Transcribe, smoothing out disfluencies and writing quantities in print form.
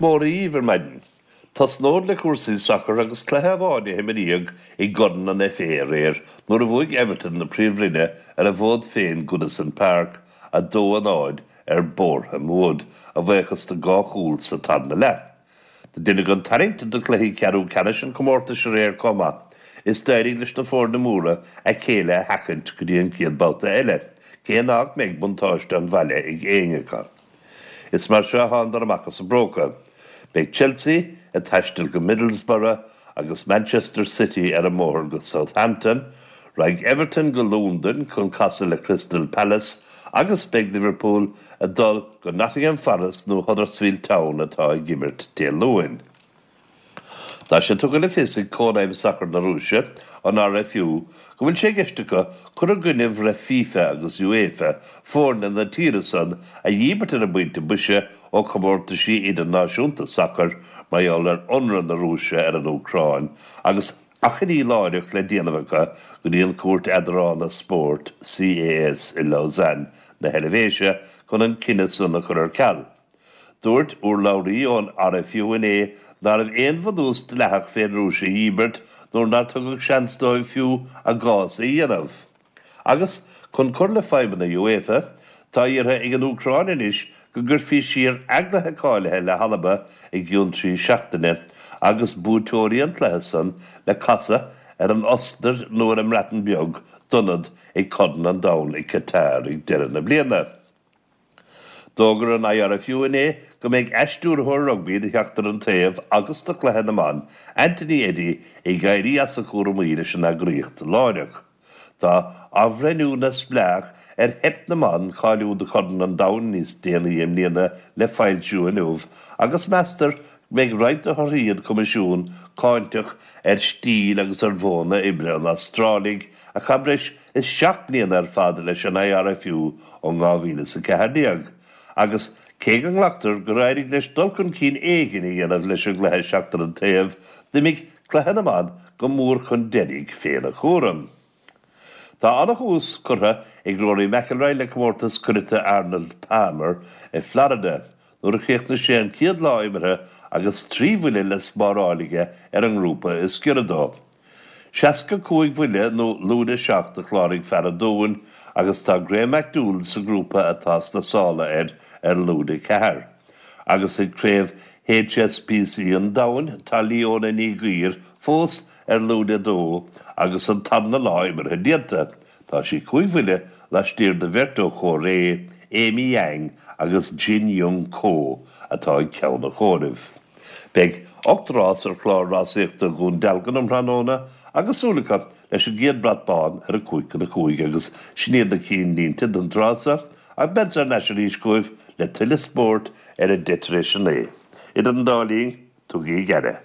Mora dhíbh ar maidin. Tosnód le cúrsaí sacair agus cluiche amháin a himríodh i gCorn an FA aréir nuair a bhuaigh Everton na Príomhroinne ar a bhfód féin Goodison Park, 2-0 ar Boreham Wood, a bhuíochas do dhá chúl sa tarna leath. Do deineadh an tarraingt do chluichí ceathrú ceannais an chomórtais aréir chomh maith is d'éirigh leis na foirne móra a chéile a sheachaint go dtí an chéad babhta eile, cé nach mbeidh buntáiste an bhaile ag éinne acu. Is mar seo a thánadar amach as a bpróca. Beidh Chelsea ag taisteal go Middlesbrough agus Manchester City ar an mbóthar go Southampton, raghaidh Everton go Londain chun casadh le Crystal Palace agus beidh Liverpool ag dul go Nottingham Forest nó Huddersfield Town atá ag imirt Dé Luain. Tá sé tugtha le fios ag Cónaidhm Sacair na Rúise, an RFU, go bhfuil sé i gceist acu cur i gcoinne bhreith FIFA agus UEFA foirne na tíre san a dhíbirt ar an bpointe boise ó chomórtaisí idirnáisiúnta sacair mar gheall ar ionradh na Rúise ar an Úcráin agus achainí láithreach le déanamh acu go dtí an Chúirt Eadrána Spóirt, CAS, i Lausanne na hEilvéise chun an cinneadh san a chur ar ceal. Dúirt urlabhraí ón RFU inné nárbh aon bhunús dleathach fén Rúis a dhíbirt nuair nár tugadh seans dóibh fiú a gcás a dhéanamh. Agus, chun cur le fadhbanna UEFA, tá iarrtha ag an Úcráin anois go gcuirfí siar a gcluiche cáilithe le hAlba i gcionn 3 seachtaine agus buaiteoirí an chluiche san le casadh ar an Ostair nó ar an mBreatain Bheag d'ionad ag Corn an Domhain i Qatar ag deireadh na bliana. D'fhógair an IRFU inné go mbeidh A-stiúrthóir rugbaí do Sheachtar an Taobh agus do Chluiche na mBan, Anthony Eddy, ag éirí as a chúramaí leis an eagraíocht láithreach. Tá athbhreithniú neamhspleách ar theip na mban cáiliú do Chorn an Domhain níos déanaí i mbliana le foilsiú inniu agus meastar go mbeidh roinnt de thorthaí an choimisiúin cáinteach ar stíl agus ar mhodhanna oibre an Astrálaigh a chaith breis is 7 mbliana ar fad leis an IRFU ó 2014 agus, cé go nglactar gur éirigh leis dul chun cinn éigin a dhéanamh leis an gcluiche seachtar an taobh, d'imigh cluiche na mban go mór chun deiridh féna chúram. Tá ana-thús curtha ag Rory McIlroy le comórtas cuireata Arnold Palmer i Florida nuair a chríochnaigh sé an chéad lá imeartha agus 3 bhuille le spáráil aige ar an ngrúpa is giorra dó. 65 bhuille nó lúide 7 a chláraigh fear an Dúin agus tá Graham McDowell sa ngrúpa atá sna sála air ar lúide 4. Agus ag Craobh HSBC an Domhain tá Leona Ní Ghuill fós ar lúide 2 agus an tarna lá imeartha déanta. Tá sí 5 bhuille laistiar de bheirt ó Chóiré, Amy Yang agus Jin Young Ko atá ag ceann an chomhairimh. Beidh 8 rás ar chlár rásaíochta Dhún Dealgan um thráthnóna agus súil acu leis an gcéad brat bán ar 4:55 agus sin iad na cinnlínte don tráth seo ach beadsa thar n-ais arís chugaibh le tuilleadh spóirt ar 9:10. Idir an dá linn, tugaigí aire.